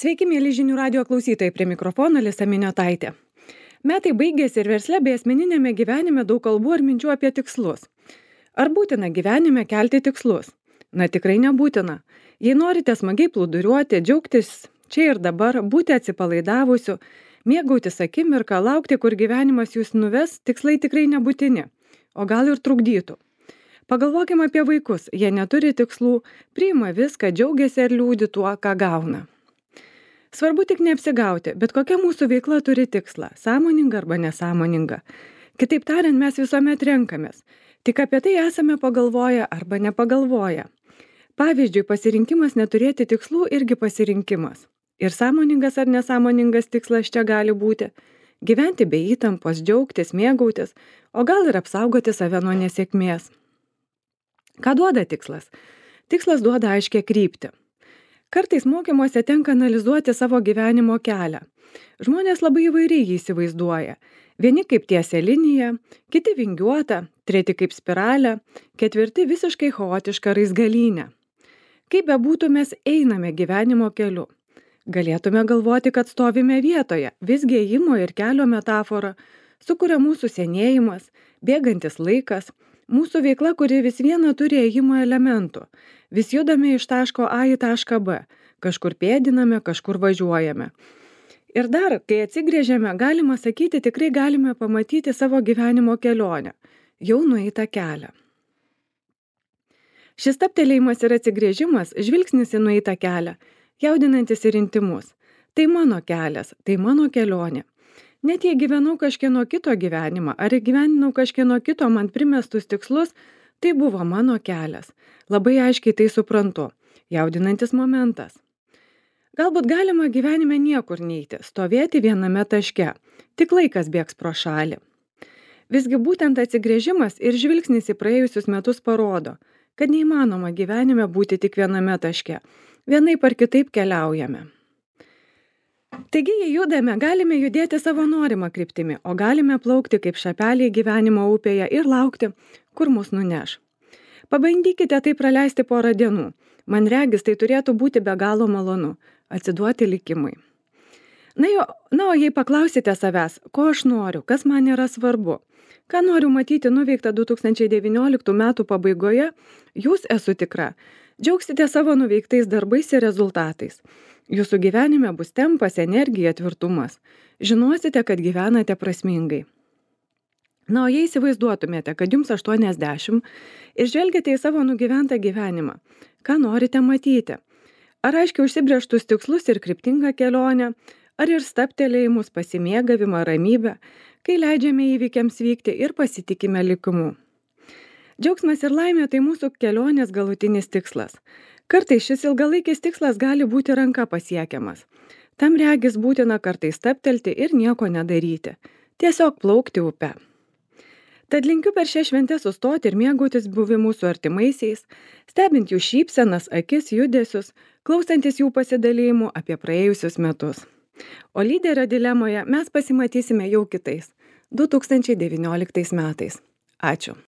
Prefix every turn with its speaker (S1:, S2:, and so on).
S1: Sveiki, mėly žinių radio klausytojai, prie mikrofono Alisa Miniotaitė. Metai baigėsi ir versle bei asmeninėme gyvenime daug kalbų ar minčių apie tikslus. Ar būtina gyvenime kelti tikslus? Na, tikrai nebūtina. Jei norite smagiai plūduriuoti, džiaugtis čia ir dabar, būti atsipalaidavusiu, mėgautis akimirką, laukti, kur gyvenimas jūs nuves, tikslai tikrai nebūtini, o gal ir trukdytų. Pagalvokime apie vaikus, jie neturi tikslų, priima viską, džiaugiasi ir liūdi tuo, ką gauna. Svarbu tik neapsigauti, bet kokia mūsų veikla turi tikslą, sąmoninga arba nesąmoninga. Kitaip tariant, mes visuomet renkamės, tik apie tai esame pagalvoję arba nepagalvoję. Pavyzdžiui, pasirinkimas neturėti tikslų irgi pasirinkimas. Ir sąmoningas ar nesąmoningas tikslas čia gali būti – gyventi be įtampos, džiaugtis, mėgautis, o gal ir apsaugoti save nuo nesėkmės. Ką duoda tikslas? Tikslas duoda aiškią kryptį. Kartais mokymuose tenka analizuoti savo gyvenimo kelią. Žmonės labai įvairiai jį įsivaizduoja. Vieni kaip tiesia linija, kiti vingiuota, treti kaip spiralė, ketvirti visiškai chaotiška raizgalynė. Kaip bebūtų, mes einame gyvenimo keliu. Galėtume galvoti, kad stovime vietoje, visgi ėjimo ir kelio metafora sukuria mūsų senėjimas, bėgantis laikas, mūsų veikla, kuri vis viena turi ėjimo elementų. Vis judame iš taško A į tašką B, kažkur pėdiname, kažkur važiuojame. Ir dar, kai atsigrėžiame, galima sakyti, tikrai galime pamatyti savo gyvenimo kelionę, jau nueitą kelią. Šis stabtelėjimas ir atsigrėžimas, žvilgsnis į nueitą kelią, jaudinantis ir intymus. Tai mano kelias, tai mano kelionė. Net jei gyvenau kažkieno kito gyvenimą, ar gyveninau kažkieno kito man primestus tikslus, tai buvo mano kelias. Labai aiškiai tai suprantu. Jaudinantis momentas. Galbūt galima gyvenime niekur neiti, stovėti viename taške. Tik laikas bėgs pro šalį. Visgi būtent atsigrėžimas ir žvilgsnis į praėjusius metus parodo, kad neįmanoma gyvenime būti tik viename taške. Vienaip ar kitaip keliaujame. Taigi, jei judame, galime judėti savo norimą kryptimi, o galime plaukti kaip šapeliai gyvenimo upėje ir laukti, kur mus nuneš. Pabandykite tai praleisti porą dienų. Man regis, tai turėtų būti be galo malonu – atsiduoti likimui. Na, o jei paklausite savęs, ko aš noriu, kas man yra svarbu, ką noriu matyti nuveikta 2019 metų pabaigoje, jūs, esu tikra, džiaugsite savo nuveiktais darbais ir rezultatais. Jūsų gyvenime bus tempas, energija, tvirtumas. Žinosite, kad gyvenate prasmingai. Na, o jei įsivaizduotumėte, kad jums 80 ir žvelgiate į savo nugyventą gyvenimą, ką norite matyti? Ar aiškiai užsibrėžtus tikslus ir kryptingą kelionę, ar ir stabtelėjimus, pasimėgavimą, ramybę, kai leidžiame įvykiams vykti ir pasitikime likimu? Džiaugsmas ir laimė tai mūsų kelionės galutinis tikslas. Kartais šis ilgalaikis tikslas gali būti ranka pasiekiamas. Tam regis būtina kartais stabtelti ir nieko nedaryti. Tiesiog plaukti upe. Tad linkiu per šią šventę sustoti ir mėgautis buvimu su artimaisiais, stebint jų šypsenas, akis, judesius, klausantis jų pasidalėjimų apie praėjusius metus. O lyderio dilemoje mes pasimatysime jau kitais, 2019 metais. Ačiū.